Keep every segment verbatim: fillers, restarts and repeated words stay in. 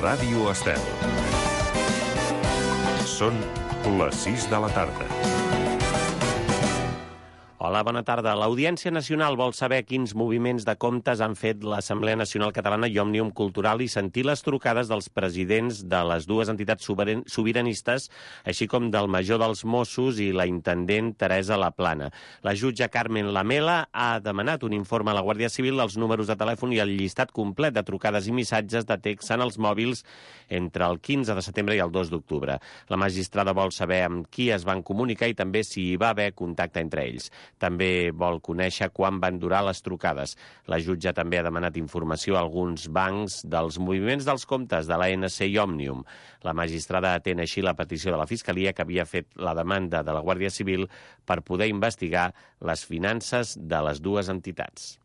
Ràdio Estel. Són les sis de la tarda. Hola, bona tarda. L'Audiència Nacional vol saber quins moviments de comptes han fet l'Assemblea Nacional Catalana i Òmnium Cultural i sentir les trucades dels presidents de les dues entitats sobiranistes, així com del major dels Mossos i la intendent Teresa Laplana. La jutge Carmen Lamela ha demanat un informe a la Guàrdia Civil dels números de telèfon i el llistat complet de trucades i missatges de text en els mòbils entre el quinze de setembre i el dos d'octubre. La magistrada vol saber amb qui es van comunicar i també si hi va haver contacte entre ells. També vol conèixer quan van durar les trucades. La jutge també ha demanat informació a alguns bancs dels moviments dels comptes de l'A N C i Òmnium. La magistrada atén així la petició de la Fiscalia que havia fet la demanda de la Guàrdia Civil per poder investigar les finances de les dues entitats.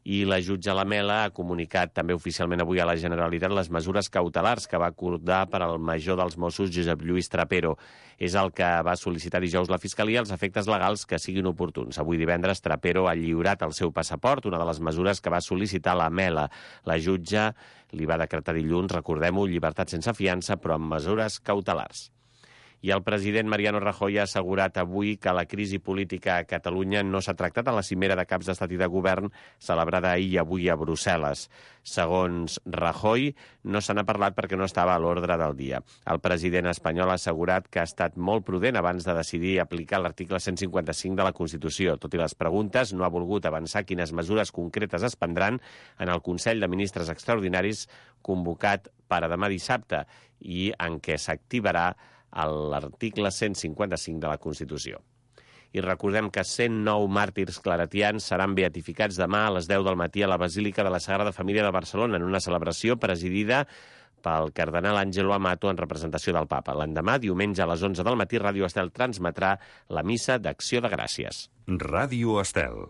I la jutge Lamela ha comunicat també oficialment avui a la Generalitat les mesures cautelars que va acordar per al major dels Mossos, Josep Lluís Trapero. És el que va sol·licitar dijous la Fiscalia els efectes legals que siguin oportuns. Avui divendres Trapero ha lliurat el seu passaport, una de les mesures que va sol·licitar Lamela. La jutge li va decretar dilluns, recordem-ho, llibertat sense fiança, però amb mesures cautelars. I el president Mariano Rajoy ha assegurat avui que la crisi política a Catalunya no s'ha tractat a la cimera de caps d'estat i de govern celebrada ahir i avui a Brussel·les. Segons Rajoy, no se n'ha parlat perquè no estava a l'ordre del dia. El president espanyol ha assegurat que ha estat molt prudent abans de decidir aplicar l'article cent cinquanta-cinc de la Constitució. Tot i les preguntes, no ha volgut avançar quines mesures concretes es prendran en el Consell de Ministres Extraordinaris convocat per a demà dissabte i en què s'activarà l'article cent cinquanta-cinc de la Constitució. I recordem que cent nou màrtirs claretians seran beatificats demà a les deu del matí a la Basílica de la Sagrada Família de Barcelona en una celebració presidida pel cardenal Àngelo Amato en representació del Papa. L'endemà, diumenge a les onze del matí, Ràdio Estel transmetrà la missa d'Acció de Gràcies. Ràdio Estel.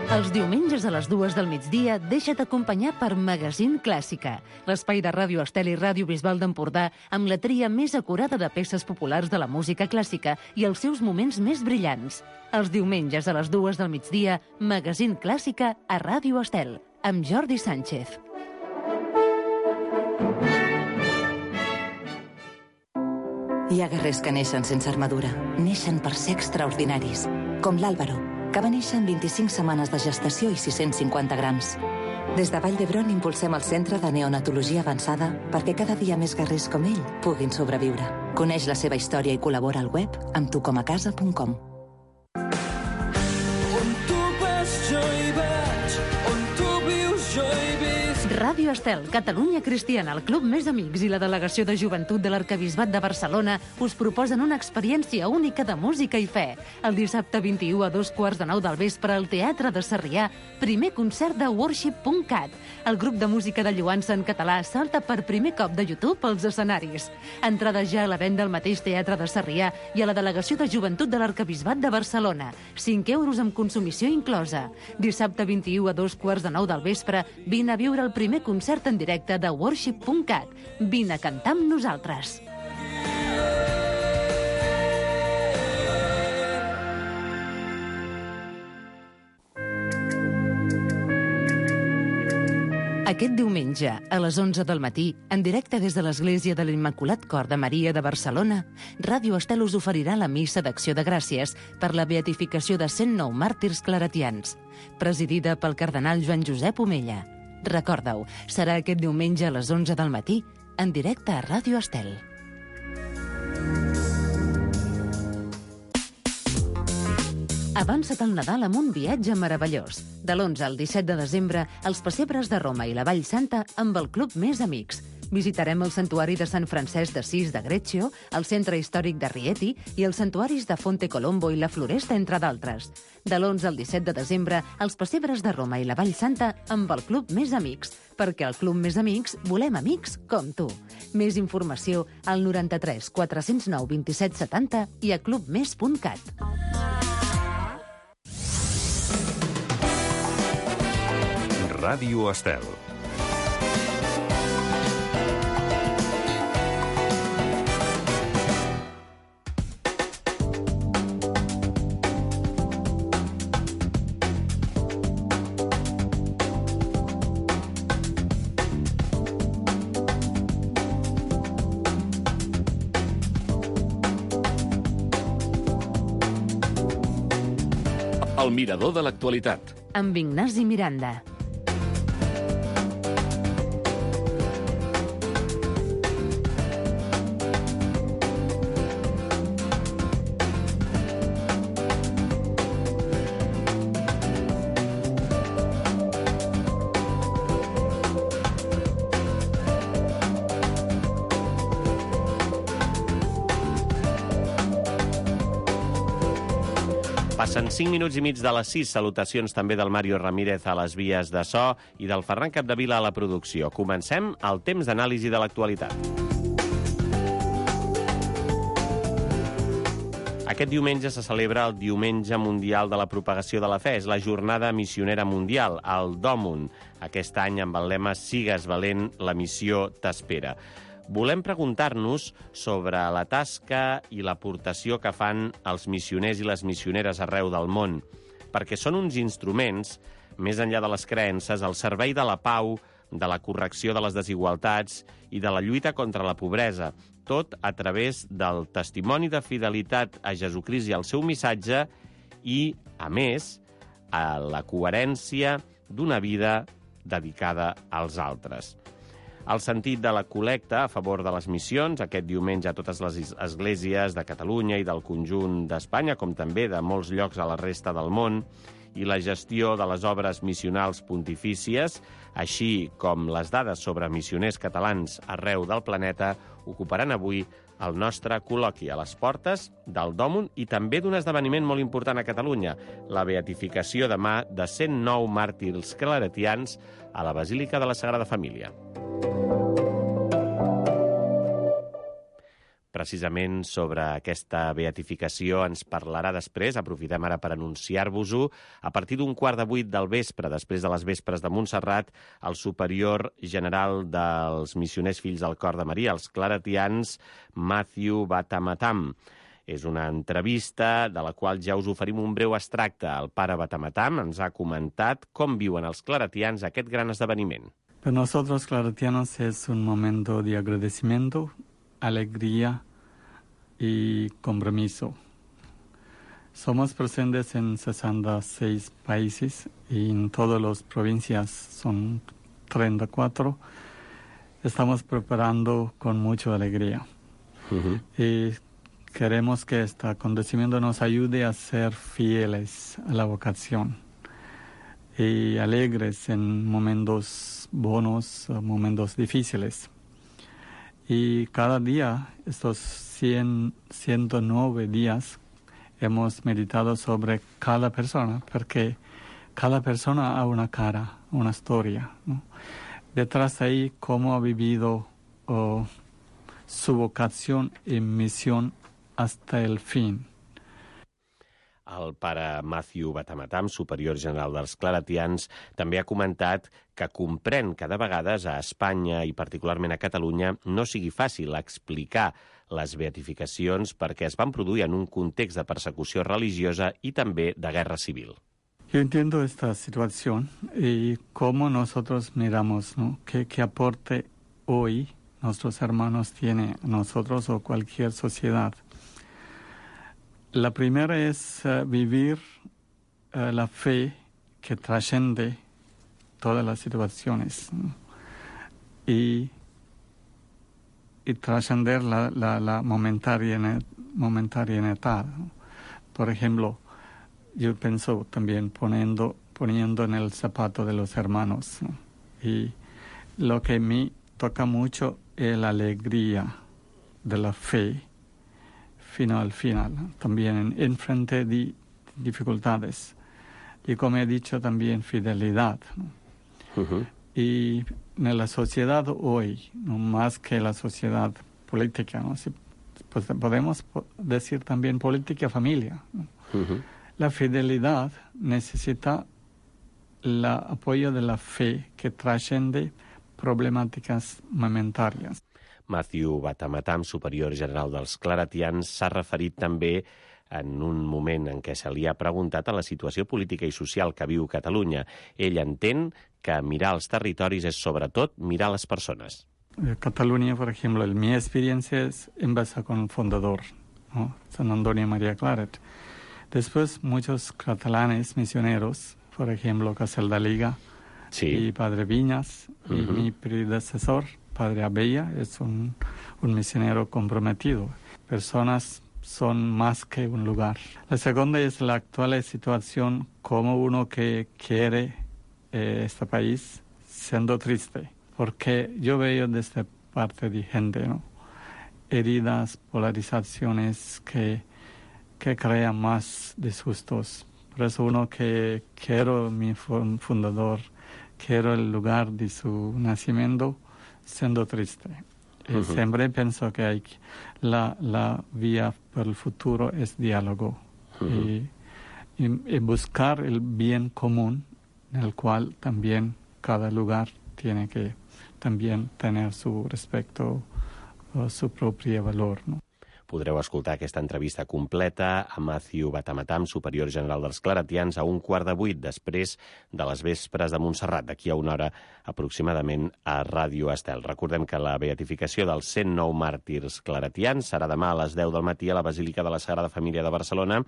Els diumenges a les dues del migdia deixa't acompanyar per Magazín Clàssica, l'espai de Ràdio Estel i Ràdio Bisbal d'Empordà amb la tria més acurada de peces populars de la música clàssica i els seus moments més brillants. Els diumenges a les dues del migdia, Magazín Clàssica a Ràdio Estel, amb Jordi Sánchez. Hi ha guerrers que neixen sense armadura, neixen per ser extraordinaris, com l'Àlvaro, que va néixer amb vint-i-cinc setmanes de gestació i sis-cents cinquanta grams. Des de Vall d'Hebron impulsem el Centre de Neonatologia Avançada perquè cada dia més guerrers com ell puguin sobreviure. Coneix la seva història i col·labora al web amb tu com a casa punt com. On tu vas jo hi vaig, on tu vius jo hi visc. Ràdio Estel, Catalunya Cristiana, el Club Més Amics i la Delegació de Joventut de l'Arquebisbat de Barcelona us proposen una experiència única de música i fe. El dissabte vint-i-u a dos quarts de nou del vespre al Teatre de Sarrià, primer concert de worship punt cat. El grup de música de lloança en català salta per primer cop de YouTube als escenaris. Entrades ja a la venda al mateix Teatre de Sarrià i a la Delegació de Joventut de l'Arquebisbat de Barcelona. cinc euros amb consumició inclosa. Dissabte vint-i-u a dos quarts de nou del vespre, vine a viure el primer concert en directe de worship punt cat. Vine a cantar amb nosaltres. Aquest diumenge, a les onze del matí, en directe des de l'Església de l'Immaculat Cor de Maria de Barcelona, Ràdio Estel us oferirà la missa d'Acció de Gràcies per la beatificació de cent nou màrtirs claretians, presidida pel cardenal Joan Josep Omella. Recorda-ho, serà aquest diumenge a les onze del matí, en directe a Ràdio Estel. Avança't al Nadal amb un viatge meravellós. De l'onze al disset de desembre, els pessebres de Roma i la Vall Santa amb el Club Més Amics. Visitarem el Santuari de Sant Francesc d'Assís de Greccio, el Centre Històric de Rieti i els santuaris de Fonte Colombo i la Floresta, entre d'altres. De l'onze al disset de desembre, els pessebres de Roma i la Vall Santa amb el Club Més Amics, perquè al Club Més Amics volem amics com tu. Més informació al noranta-tres quatre cents nou vint-i-set setanta i a club més punt cat. Ràdio Estel. El mirador de l'actualitat. Amb Ignasi Miranda. Passen cinc minuts i mig de les sis. Salutacions també del Mario Ramírez a les vies de so i del Ferran Capdevila a la producció. Comencem el temps d'anàlisi de l'actualitat. Aquest diumenge se celebra el Diumenge Mundial de la Propagació de la Fe. És la jornada missionera mundial, el Dòmun. Aquest any amb el lema Sigues valent, la missió t'espera. Volem preguntar-nos sobre la tasca i l'aportació que fan els missioners i les missioneres arreu del món, perquè són uns instruments, més enllà de les creences, al servei de la pau, de la correcció de les desigualtats i de la lluita contra la pobresa, tot a través del testimoni de fidelitat a Jesucrist i al seu missatge i, a més, a la coherència d'una vida dedicada als altres. El sentit de la col·lecta a favor de les missions, aquest diumenge a totes les esglésies de Catalunya i del conjunt d'Espanya, com també de molts llocs a la resta del món, i la gestió de les obres missionals pontifícies, així com les dades sobre missioners catalans arreu del planeta, ocuparan avui el nostre col·loqui a les portes del Dòmun i també d'un esdeveniment molt important a Catalunya, la beatificació demà de cent nou màrtirs claretians a la Basílica de la Sagrada Família. Precisament sobre aquesta beatificació ens parlarà després, aprofitem ara per anunciar-vos-ho, a partir d'un quart de vuit del vespre, després de les vespres de Montserrat, el superior general dels missioners fills del Cor de Maria, els claretians, Matthew Batamatam. És una entrevista de la qual ja us oferim un breu extracte. El pare Batamatam ens ha comentat com viuen els claretians aquest gran esdeveniment. Para nosotros claretianos es un momento de agradecimiento, alegría y compromiso. Somos presentes en sesenta y seis países y en todas las provincias, son treinta y cuatro. Estamos preparando con mucha alegría. Uh-huh. Y queremos que este acontecimiento nos ayude a ser fieles a la vocación y alegres en momentos buenos, momentos difíciles. Y cada día, estos cien, ciento nueve días, hemos meditado sobre cada persona, porque cada persona ha una cara, una historia, ¿no? Detrás de ahí, cómo ha vivido oh, su vocación y misión hasta el fin. El pare Matthew Batamatam, superior general dels claretians, també ha comentat que comprèn que de vegades a Espanya i particularment a Catalunya no sigui fàcil explicar les beatificacions perquè es van produir en un context de persecució religiosa i també de guerra civil. Yo entiendo esta situación y cómo nosotros miramos, ¿no? ¿Qué, qué aporte hoy nuestros hermanos tienen a nosotros o cualquier sociedad? La primera es uh, vivir uh, la fe que trasciende todas las situaciones, ¿no? y, y trascender la, la, la momentariedad, momentariedad, ¿no? Por ejemplo, yo pienso también poniendo, poniendo en el zapato de los hermanos, ¿no? Y lo que me toca mucho es la alegría de la fe final al final, ¿no? También en frente de dificultades. Y como he dicho, también fidelidad, ¿no? Uh-huh. Y en la sociedad hoy, no más que la sociedad política, ¿no? Si, pues podemos decir también política familia, ¿no? Uh-huh. La fidelidad necesita el apoyo de la fe que trasciende problemàtiques momentàries. Matthew Batamatam, superior general dels claretians, s'ha referit també en un moment en què se li ha preguntat a la situació política i social que viu Catalunya. Ell entén que mirar els territoris és, sobretot, mirar les persones. Cataluña, por ejemplo, en mi experiencia es empezar con el fundador, ¿no? San Antonio María Claret. Después, muchos catalanes misioneros, por ejemplo, Caseldaliga Sí. y Padre Viñas, y Ujú. mi predecesor, Padre Abella, es un, un misionero comprometido. Personas son más que un lugar. La segunda es la actual situación, como uno que quiere eh, este país, siendo triste. Porque yo veo desde parte de gente, ¿no? Heridas, polarizaciones que, que crean más disgustos. Por eso uno que quiero mi fundador, quiero el lugar de su nacimiento, siendo triste. Uh-huh. Siempre pienso que hay la, la vía para el futuro es diálogo. Uh-huh. y, y, y buscar el bien común, en el cual también cada lugar tiene que también tener su respecto, uh, su propio valor, ¿no? Podreu escoltar aquesta entrevista completa a Matthew Batamatam, superior general dels claretians, a un quart de vuit després de les vespres de Montserrat, d'aquí a una hora aproximadament a Ràdio Estel. Recordem que la beatificació dels cent nou màrtirs claretians serà demà a les deu del matí a la Basílica de la Sagrada Família de Barcelona,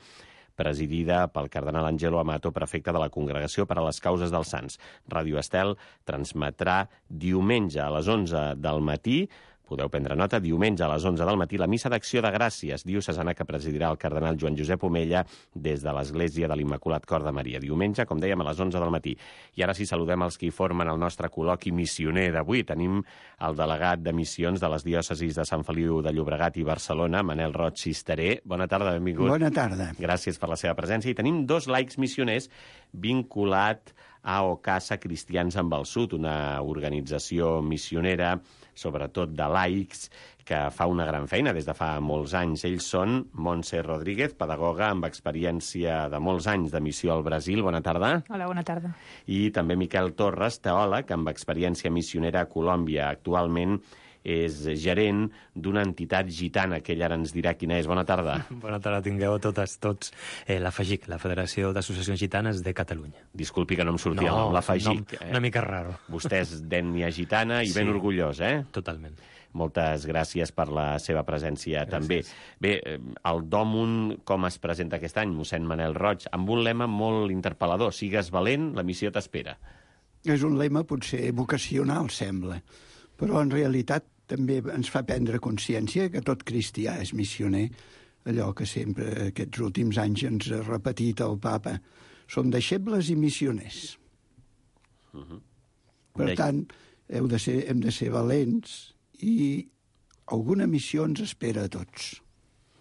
presidida pel cardenal Angelo Amato, prefecte de la Congregació per a les Causes dels Sants. Ràdio Estel transmetrà diumenge a les onze del matí, podeu prendre nota, diumenge a les onze del matí, la missa d'acció de gràcies diocesana que presidirà el cardenal Joan Josep Omella des de l'Església de l'Immaculat Cor de Maria. Diumenge, com dèiem, a les onze del matí. I ara sí, saludem els que hi formen el nostre col·loqui missioner d'avui. Tenim el delegat de missions de les diòcesis de Sant Feliu de Llobregat i Barcelona, Manel Roig Cisteré. Bona tarda, benvingut. Bona tarda. Gràcies per la seva presència. I tenim dos laics missioners vinculat a Ocasa Cristians amb el Sud, una organització missionera, sobretot de laics, que fa una gran feina des de fa molts anys. Ells són Montse Rodríguez, pedagoga amb experiència de molts anys de missió al Brasil. Bona tarda. Hola, bona tarda. I també Miquel Torres, teòleg amb experiència missionera a Colòmbia. Actualment és gerent d'una entitat gitana, que ell ara ens dirà quina és. Bona tarda. Bona tarda, tingueu totes, tots. Eh, la FAGIC, la Federació d'Associacions Gitanes de Catalunya. Disculpi que no em sortia no, el nom, la FAGIC. No, una mica raro. Vostè és d'ètnia gitana i sí, ben orgullós, eh? Totalment. Moltes gràcies per la seva presència gràcies. També. Bé, el Dòmun, com es presenta aquest any, mossèn Manel Roig, amb un lema molt interpel·lador: sigues valent, la missió t'espera. És un lema potser vocacional, sembla, però en realitat també ens fa prendre consciència que tot cristià és missioner, allò que sempre aquests últims anys ens ha repetit el papa. Som deixebles i missioners. Uh-huh. Per tant, heu de ser, hem de ser valents i alguna missió ens espera a tots.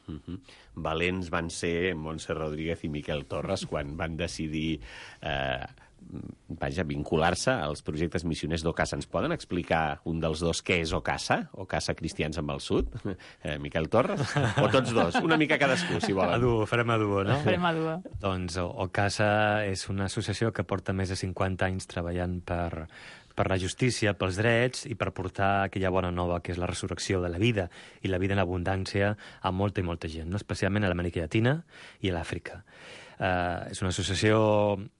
Uh-huh. Valents van ser Montse Rodríguez i Miquel Torres quan van decidir eh, vaja, vincular-se als projectes missioners d'Ocasa. Ens poden explicar un dels dos què és Ocasa? Ocasa Cristians amb el Sud? Eh, Miquel Torres? O tots dos? Una mica cadascú, si volen. A duo, farem a duo, no? Farem a duo. Doncs Ocasa és una associació que porta més de cinquanta anys treballant per... per la justícia, pels drets i per portar aquella bona nova que és la resurrecció de la vida i la vida en abundància a molta i molta gent, no? Especialment a l'Amèrica Llatina i a l'Àfrica. Uh, és una associació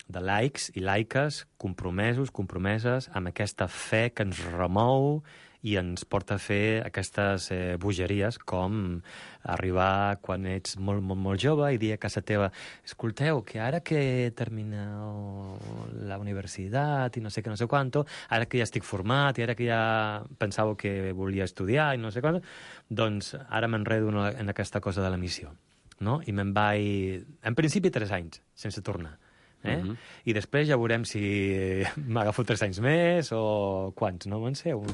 de laics i laiques compromesos, compromeses amb aquesta fe que ens remou i ens porta a fer aquestes eh, bogeries com arribar quan ets molt, molt, molt jove i dir a casa teva: escolteu, que ara que termineu la universitat i no sé què, no sé quanto, ara que ja estic format i ara que ja pensava que volia estudiar i no sé quanto, doncs ara m'enredo en aquesta cosa de la missió, no? I me'n vaig, en principi, tres anys sense tornar. Eh? Uh-huh. I després ja veurem si m'agafo tres anys més o quants, no van ser? Un...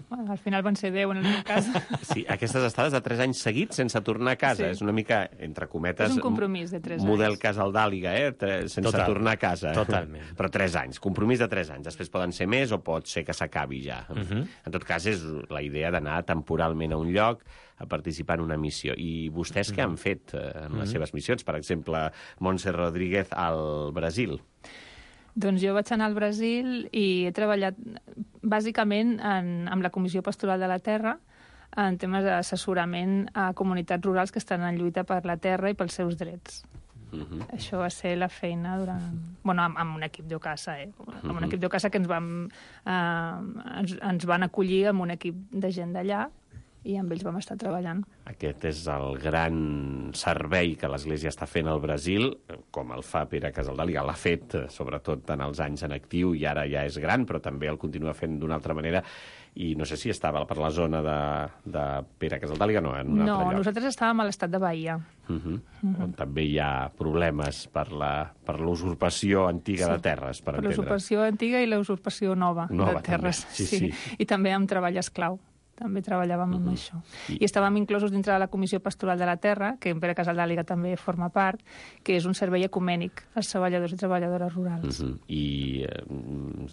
Bueno, al final van ser deu en el meu cas. Sí, aquestes estades de tres anys seguits sense tornar a casa. Sí. És una mica, entre cometes... És un compromís de tres model anys. Casaldàliga, eh? Sense Total. Tornar a casa. Totalment. Però tres anys, compromís de tres anys. Després poden ser més o pot ser que s'acabi ja. Uh-huh. En tot cas, és la idea d'anar temporalment a un lloc a participar en una missió. I vostès què han fet eh, en les seves missions? Per exemple, Montse Rodríguez al Brasil. Doncs jo vaig anar al Brasil i he treballat bàsicament en, amb la Comissió Pastoral de la Terra en temes d'assessorament a comunitats rurals que estan en lluita per la terra i pels seus drets. Uh-huh. Això va ser la feina durant... Bueno, amb, amb un equip d'Ocasa, eh? Amb un uh-huh. equip d'Ocasa que ens van, eh, ens, ens van acollir amb un equip de gent d'allà i amb ells vam estar treballant. Aquest és el gran servei que l'Església està fent al Brasil, com el fa Pere Casaldàliga. L'ha fet, sobretot en els anys en actiu, i ara ja és gran, però també el continua fent d'una altra manera. I no sé si estava per la zona de, de Pere Casaldàliga, no, en un no, altre lloc. No, nosaltres estàvem a l'estat de Bahia. Uh -huh. Uh -huh. On també hi ha problemes per la per l'usurpació antiga sí, de terres, per, per entendre. Per l'usurpació antiga i la usurpació nova, nova de terres. Sí, sí. Sí. I també amb treball esclau. També treballàvem uh -huh. amb això. I... I estàvem inclosos dintre de la Comissió Pastoral de la Terra, que en Pere Casaldàliga també forma part, que és un servei ecumènic als treballadors i treballadores rurals. Uh -huh. I, eh,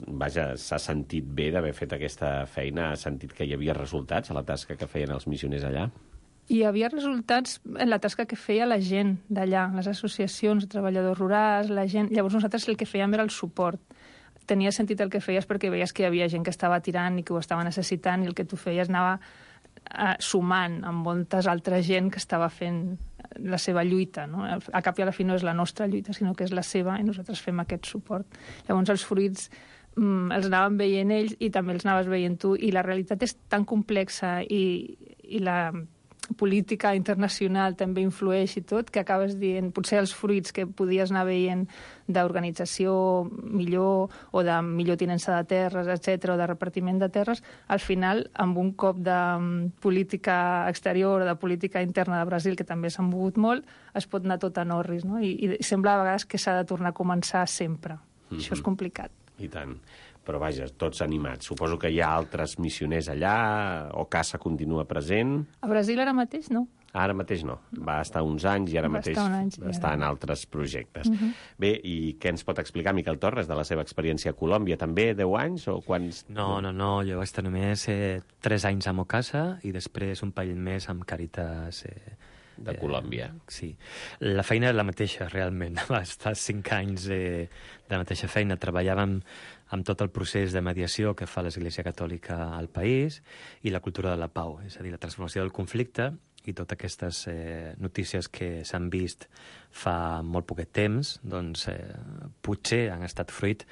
vaja, s'ha sentit bé d'haver fet aquesta feina? Ha sentit que hi havia resultats a la tasca que feien els missioners allà? Hi havia resultats en la tasca que feia la gent d'allà, les associacions de treballadors rurals, la gent... Llavors nosaltres el que fèiem era el suport. Tenia sentit el que feies perquè veies que hi havia gent que estava tirant i que ho estava necessitant, i el que tu feies anava uh, sumant amb moltes altra gent que estava fent la seva lluita, no? A cap i a la fi no és la nostra lluita, sinó que és la seva, i nosaltres fem aquest suport. Llavors els fruits mm, els anàvem veient ells i també els anaves veient tu, i la realitat és tan complexa i, i la política internacional també influeix i tot, que acabes dient, potser els fruits que podies anar veient d'organització millor o de millor tinença de terres, etcètera, o de repartiment de terres, al final, amb un cop de política exterior o de política interna de Brasil, que també s'han mogut molt, es pot anar tot en orris, no? I, i sembla a vegades que s'ha de tornar a començar sempre. Mm-hmm. Això és complicat. I tant. Però vaja, tots animats. Suposo que hi ha altres missioners allà, o Casa continua present. A Brasil ara mateix no. Ara mateix no. Va estar uns anys i ara Va mateix anys, està ara. en altres projectes. Uh -huh. Bé, i què ens pot explicar Miquel Torres de la seva experiència a Colòmbia? També deu anys o quants? No, no, no. Jo vaig estar només eh, tres anys amb Ocasa i després un parell més amb Càritas... Eh, de Colòmbia. Eh, sí. La feina és la mateixa, realment. Va estar cinc anys eh, de la mateixa feina. Treballàvem amb tot el procés de mediació que fa l'Església Catòlica al país i la cultura de la pau, és a dir, la transformació del conflicte i totes aquestes eh, notícies que s'han vist fa molt poquet temps, doncs eh, potser han estat fruit,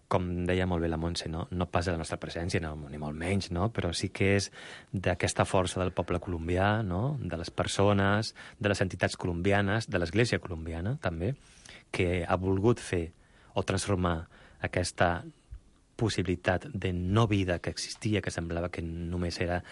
com deia molt bé la Montse, no, no pas de la nostra presència, no, ni molt menys, no? Però sí que és d'aquesta força del poble colombià, no? De les persones, de les entitats colombianes, de l'Església colombiana, també, que ha volgut fer o transformar aquesta possibilitat de no vida que existia, que semblava que només era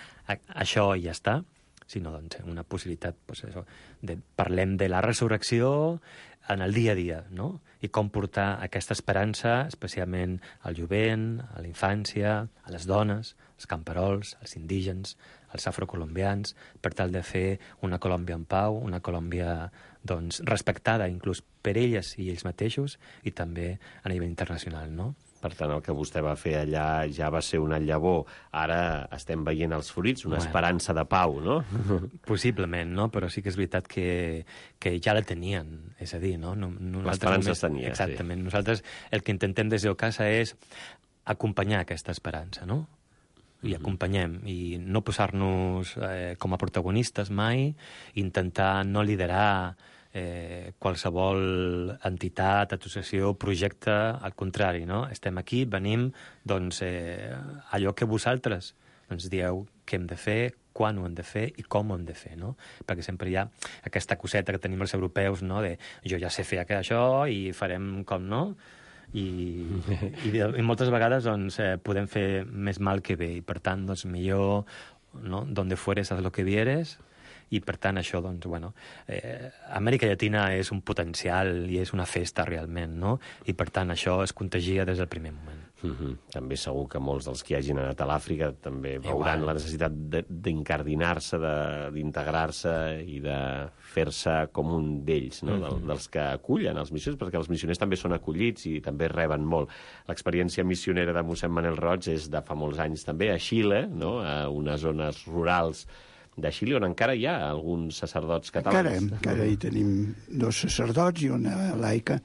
això i ja està, sinó doncs, una possibilitat, doncs, això, de, parlem de la resurrecció en el dia a dia, no? I com portar aquesta esperança, especialment al jovent, a la infància, a les dones, als camperols, als indígens, als afrocolombians, per tal de fer una Colòmbia en pau, una Colòmbia doncs, respectada inclús per elles i ells mateixos i també a nivell internacional, no? Per tant, el que vostè va fer allà ja va ser una llavor. Ara estem veient els fruits, una bueno. esperança de pau, no? Possiblement, no? Però sí que és veritat que, que ja la tenien, és a dir, no? L'esperança es tenia, exactament. Sí. Nosaltres el que intentem des d'Ocasa és acompanyar aquesta esperança, no? I acompanyem, i no posar-nos eh, com a protagonistes mai, intentar no liderar eh, qualsevol entitat, associació, projecte, al contrari, no? Estem aquí, venim, doncs, eh, allò que vosaltres ens dieu què hem de fer, quan ho hem de fer i com ho hem de fer, no? Perquè sempre hi ha aquesta coseta que tenim els europeus, no?, de jo ja sé fer això i farem com no, i, i, i moltes vegades doncs, eh, podem fer més mal que bé, i per tant, doncs, millor, no?, donde fueres haz lo que vieres. I, per tant, això, doncs, bueno, eh, Amèrica Llatina és un potencial i és una festa, realment, no? I, per tant, això es contagia des del primer moment. Mm-hmm. També segur que molts dels que hagin anat a l'Àfrica també veuran Igual. la necessitat d'incardinar-se, d'integrar-se i de fer-se com un d'ells, no? Mm-hmm. Del, dels que acullen els missioners, perquè els missioners també són acollits i també reben molt. L'experiència missionera de mossèn Manel Roig és de fa molts anys també, a Xile, no?, a unes zones rurals de Xile, on encara hi ha alguns sacerdots catalans. Encara, encara hi tenim dos sacerdots i una laica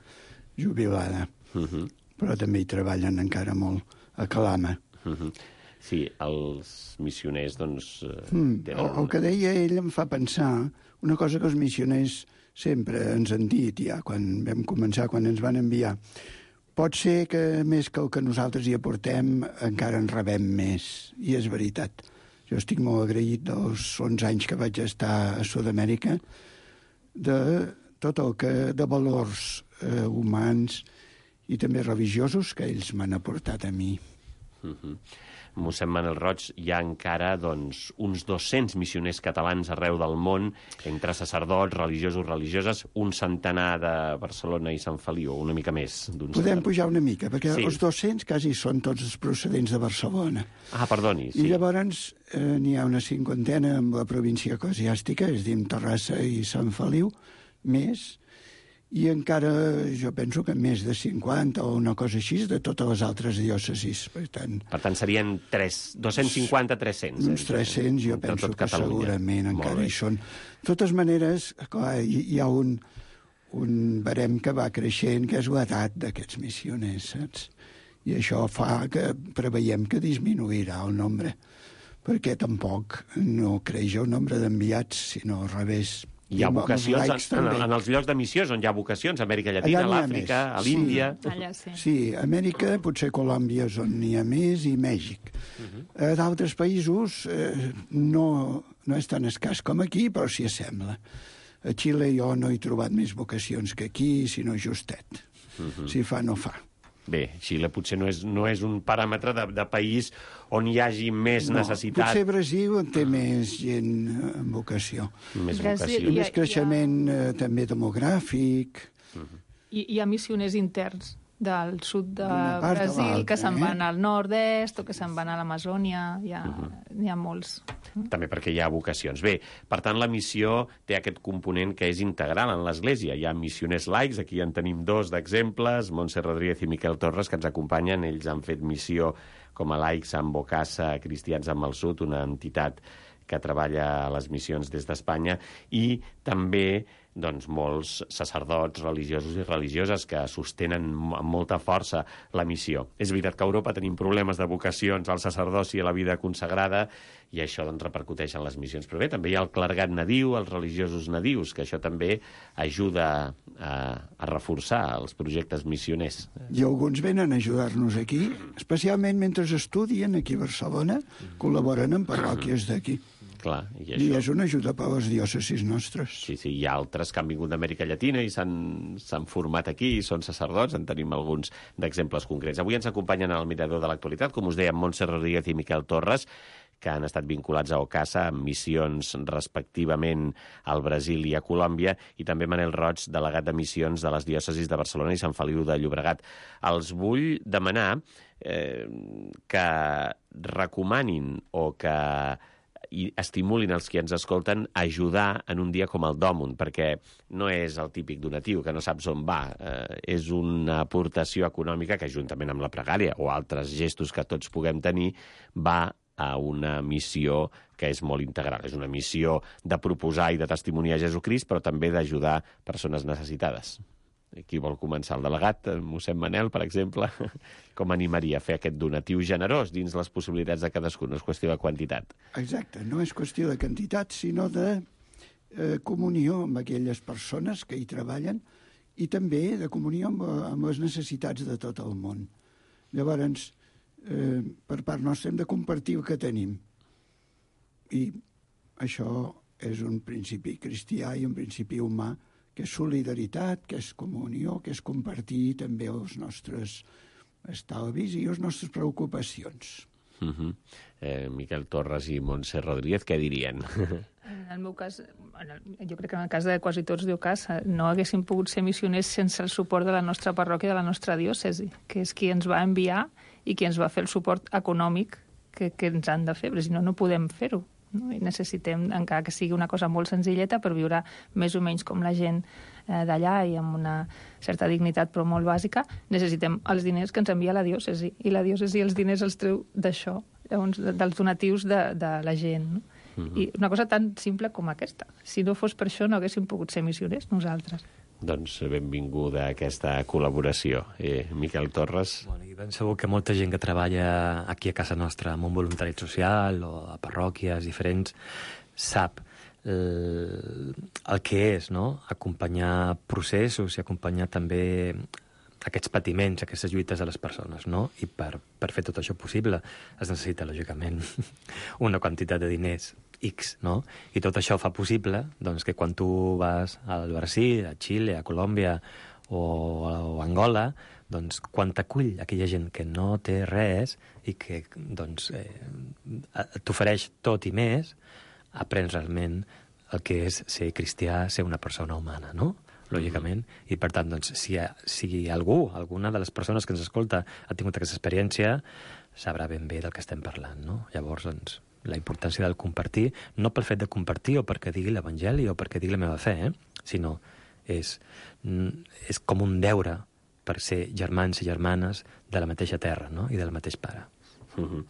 jubilada. Uh-huh. Però també hi treballen encara molt a Calama. Uh-huh. Sí, els missioners, doncs... Mm, tenen... el, el que deia ell em fa pensar una cosa que els missioners sempre ens han dit, ja quan vam començar, quan ens van enviar. Pot ser que més que el que nosaltres hi aportem encara en rebem més, i és veritat. Jo estic molt agraït dels onze anys que vaig estar a Sud-amèrica, de tot el que de valors eh, humans i també religiosos que ells m'han aportat a mi. Mm-hmm. Mossèn Manel Roig, hi ha encara doncs, uns dos-cents missioners catalans arreu del món, entre sacerdots, religiosos, religioses, un centenar de Barcelona i Sant Feliu, una mica més. Podem centenar. pujar una mica, perquè sí. els dos-cents quasi són tots els procedents de Barcelona. Ah, perdoni, sí. I llavors eh, n'hi ha una cinquantena amb la província eclesiàstica, és a dir, Terrassa i Sant Feliu, més, i encara jo penso que més de cinquanta o una cosa així de totes les altres diòcesis. Per tant, per tant serien dos-cents cinquanta a tres-cents. Uns tres-cents jo penso que segurament encara hi són. De totes maneres, clar, hi, hi ha un, un barem que va creixent, que és l'edat d'aquests missioners, saps? I això fa que preveiem que disminuirà el nombre, perquè tampoc no creix el nombre d'enviats, sinó al revés. Hi ha vocacions en, en, en els llocs de missions on hi ha vocacions, Amèrica Llatina, a l'Àfrica, a l'Índia... Sí. Allà sí. Sí, Amèrica, potser Colòmbia és on n'hi ha més, i Mèxic. Uh-huh. A d'altres països eh, no, no és tan escàs com aquí, però s'hi assembla. A Xile jo no he trobat més vocacions que aquí, sinó justet. Uh-huh. Si fa, no fa. Bé, Xile potser no és, no és un paràmetre de, de país on hi hagi més no, necessitat. Potser Brasil té més gent amb vocació. Més Brasil, vocació. I més creixement ha... eh, també demogràfic. Uh-huh. I hi ha missioners interns del sud de part Brasil de que se'n eh? van al nord-est o que se'n van a l'Amazònia. Hi ha, uh-huh. hi ha molts. També perquè hi ha vocacions. Bé, per tant, la missió té aquest component que és integral en l'Església. Hi ha missioners laics, aquí en tenim dos d'exemples, Montse Rodríguez i Miquel Torres, que ens acompanyen. Ells han fet missió com a laics amb Bocassa, Cristians amb el Sud, una entitat que treballa a les missions des d'Espanya, i també doncs, molts sacerdots religiosos i religioses que sostenen amb molta força la missió. És veritat que a Europa tenim problemes de vocacions al sacerdoci i a la vida consagrada, i això doncs, repercuteix en les missions. Però bé, també hi ha el clergat nadiu, els religiosos nadius, que això també ajuda a, a reforçar els projectes missioners. I alguns venen a ajudar-nos aquí, especialment mentre estudien aquí a Barcelona, col·laboren en parròquies d'aquí. Clar, i, això... I és una ajuda per a les diòcesis nostres. Sí, sí, hi ha altres que han vingut d'Amèrica Llatina i s'han format aquí i són sacerdots, en tenim alguns d'exemples concrets. Avui ens acompanyen al Mirador de l'Actualitat, com us deia, Montse Rodríguez i Miquel Torres, que han estat vinculats a Ocasa amb missions respectivament al Brasil i a Colòmbia, i també Manel Roig, delegat de missions de les diòcesis de Barcelona i Sant Feliu de Llobregat. Els vull demanar eh, que recomanin o que i estimulin els que ens escolten a ajudar en un dia com el d'Òmund, perquè no és el típic donatiu, que no saps on va. Eh, és una aportació econòmica que, juntament amb la pregària o altres gestos que tots puguem tenir, va a una missió que és molt integral. És una missió de proposar i de testimoniar Jesucrist, però també d'ajudar persones necessitades. Qui vol començar? El delegat, mossèn Manel, per exemple, com animaria a fer aquest donatiu generós dins les possibilitats de cadascú? No és qüestió de quantitat. Exacte, no és qüestió de quantitat, sinó de eh, comunió amb aquelles persones que hi treballen i també de comunió amb, amb les necessitats de tot el món. Llavors, eh, per part nostra hem de compartir el que tenim. I això és un principi cristià i un principi humà, que és solidaritat, que és comunió, que és compartir també els nostres estalvis i les nostres preocupacions. Uh-huh. eh, Miquel Torres i Montse Rodríguez, què dirien? En el meu cas, jo crec que en el cas de quasi tots d'Ocasa, no haguéssim pogut ser missioners sense el suport de la nostra parròquia, de la nostra diòcesi, que és qui ens va enviar i qui ens va fer el suport econòmic que, que ens han de fer, perquè si no, no podem fer-ho. No? I necessitem, encara que sigui una cosa molt senzilleta, per viure més o menys com la gent eh, d'allà i amb una certa dignitat però molt bàsica, necessitem els diners que ens envia la diòcesi, i la diòcesi els diners els treu d'això, llavors, dels donatius de, de la gent. No? Uh-huh. I una cosa tan simple com aquesta. Si no fos per això no haguéssim pogut ser missioners nosaltres. Doncs benvinguda a aquesta col·laboració. Eh, Miquel Torres. Bueno, i ben segur que molta gent que treballa aquí a casa nostra amb un voluntariat social o a parròquies diferents sap el, el que és, no?, acompanyar processos i acompanyar també aquests patiments, aquestes lluites de les persones, no? I per, per fer tot això possible es necessita, lògicament, una quantitat de diners X, no? I tot això fa possible doncs, que quan tu vas al Brasil, a Xile, a Colòmbia o, o a Angola, doncs, quan t'acull aquella gent que no té res i que doncs, eh, t'ofereix tot i més, aprens realment el que és ser cristià, ser una persona humana, no? Lògicament, i per tant, doncs, si, si algú, alguna de les persones que ens escolta ha tingut aquesta experiència, sabrà ben bé del que estem parlant, no? Llavors, doncs, la importància del compartir, no pel fet de compartir o perquè digui l'Evangeli o perquè digui la meva fe, eh? Sinó és, és com un deure per ser germans i germanes de la mateixa terra, no? I del mateix pare. Mm-hmm.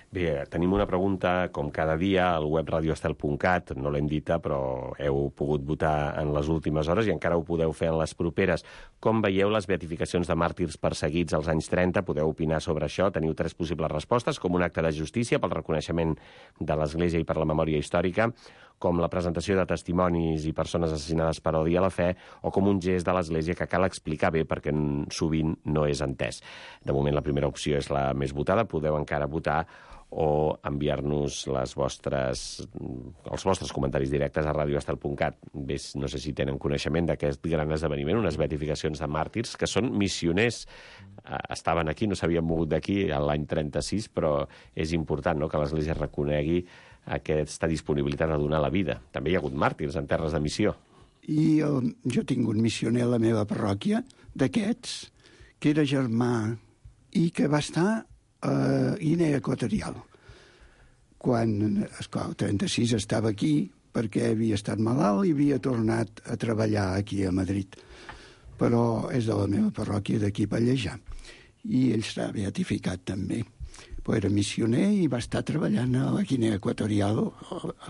Bé, tenim una pregunta, com cada dia, al web radioestel punt cat, no l'hem dita, però heu pogut votar en les últimes hores i encara ho podeu fer en les properes. Com veieu les beatificacions de màrtirs perseguits als anys trenta? Podeu opinar sobre això. Teniu tres possibles respostes, com un acte de justícia pel reconeixement de l'Església i per la memòria històrica, com la presentació de testimonis i persones assassinades per odi a la fe, o com un gest de l'Església que cal explicar bé perquè sovint no és entès. De moment la primera opció és la més votada, podeu encara votar o enviar-nos les vostres, els vostres comentaris directes a radioestel punt cat. Bé, no sé si tenen coneixement d'aquest gran esdeveniment, unes beatificacions de màrtirs que són missioners. Estaven aquí, no s'havien mogut d'aquí l'any trenta-sis, però és important, no?, que l'Església reconegui aquesta disponibilitat a donar la vida. També hi ha hagut màrtirs en terres de missió. I el, jo tinc un missioner a la meva parròquia, d'aquests, que era germà i que va estar a Guinea Equatorial. Quan, esclar, el trenta-sis estava aquí perquè havia estat malalt i havia tornat a treballar aquí a Madrid. Però és de la meva parròquia d'aquí per Pallejà. I ell s'ha beatificat també. Però era missioner i va estar treballant a la Guinea Equatorial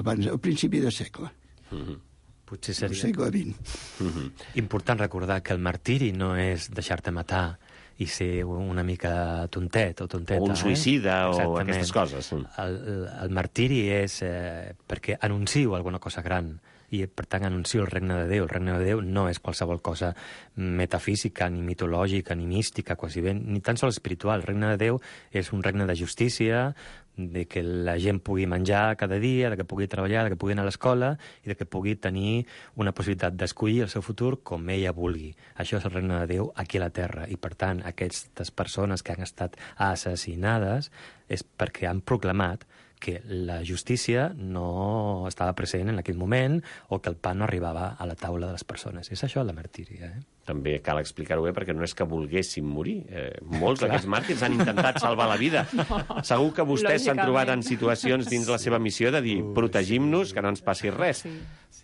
abans, al principi de segle. Mm-hmm. Potser seria... El segle vint. Mm-hmm. Important recordar que el martiri no és deixar-te matar i ser una mica tontet o tonteta. O un suïcida, eh? o Exactament. Aquestes coses. El, el, el martiri és eh, perquè anuncio alguna cosa gran i, per tant, anuncio el regne de Déu. El regne de Déu no és qualsevol cosa metafísica, ni mitològica, ni mística, quasi bé, ni tan sols espiritual. El regne de Déu és un regne de justícia, de que la gent pugui menjar cada dia, de que pugui treballar, de que pugui anar a l'escola i de que pugui tenir una possibilitat d'escollir el seu futur com ella vulgui. Això és el regne de Déu aquí a la Terra. I, per tant, aquestes persones que han estat assassinades és perquè han proclamat que la justícia no estava present en aquell moment o que el pa no arribava a la taula de les persones. És això la martíria, eh? També cal explicar-ho bé, perquè no és que volguessin morir. Eh, molts d'aquests màrtirs han intentat salvar la vida. No. Segur que vostès s'han trobat en situacions dins la seva missió de dir protegim-nos, que no ens passi res. Sí.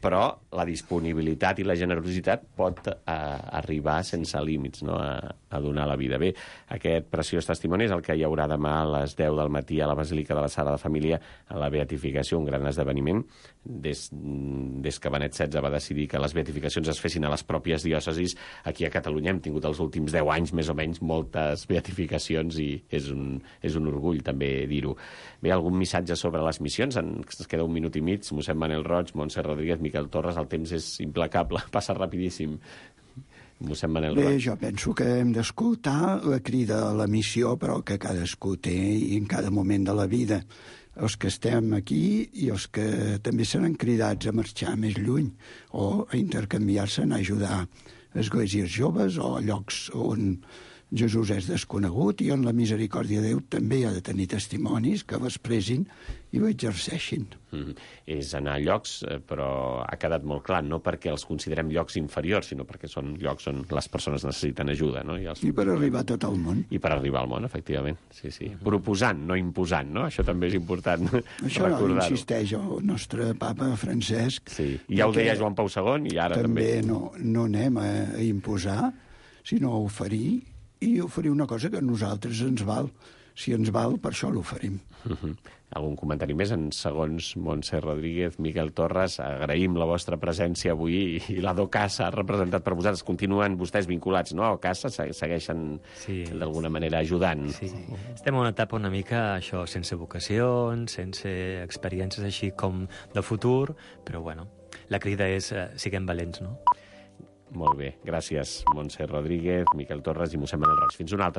Però la disponibilitat i la generositat pot eh, arribar sense límits, no?, a, a donar la vida. Bé, aquest preciós testimoni és el que hi haurà demà a les deu del matí a la Basílica de la Sagrada Família, a la beatificació, un gran esdeveniment. Des, des que Benet setze va decidir que les beatificacions es fessin a les pròpies diòcesis, aquí a Catalunya hem tingut els últims deu anys, més o menys, moltes beatificacions i és un, és un orgull també dir-ho. Bé, algun missatge sobre les missions? Ens queda un minut i mig. Mossèn Manel Roig, Montse Rodríguez, Miquel Torres, el temps és implacable, passa rapidíssim. Mossèn Manel Roig. Bé, jo penso que hem d'escoltar la crida a la missió, però que cadascú té i en cada moment de la vida. Els que estem aquí i els que també seran cridats a marxar més lluny o a intercanviar-se, a ajudar esglésies joves o llocs on Jesús és desconegut i on la misericòrdia de Déu també ha de tenir testimonis que l'expressin i l'exerceixin. Mm. És anar a llocs, però ha quedat molt clar, no perquè els considerem llocs inferiors, sinó perquè són llocs on les persones necessiten ajuda. No? I, els... I per arribar a tot el món. I per arribar al món, efectivament. Sí, sí. Mm-hmm. Proposant, no imposant, no? Això també és important Això recordar-ho. Això insisteix el nostre papa Francesc. Sí. I ja ho deia Joan Pau segon i ara també. També no, no anem a, a imposar, sinó a oferir, i oferir una cosa que a nosaltres ens val. Si ens val, per això l'oferim. Uh-huh. Algun comentari més? En segons Montse Rodríguez, Miquel Torres, agraïm la vostra presència avui i la d'Ocasa representat per vosaltres. Continuen vostès vinculats, no? A Ocasa segueixen sí. d'alguna manera ajudant. Sí. Estem en una etapa una mica, això, sense vocacions, sense experiències així com de futur, però bueno, la crida és eh, siguem valents, no? Molt bé, gràcies, Montse Rodríguez, Miquel Torres i mossèn Manel Roig. Fins una altra.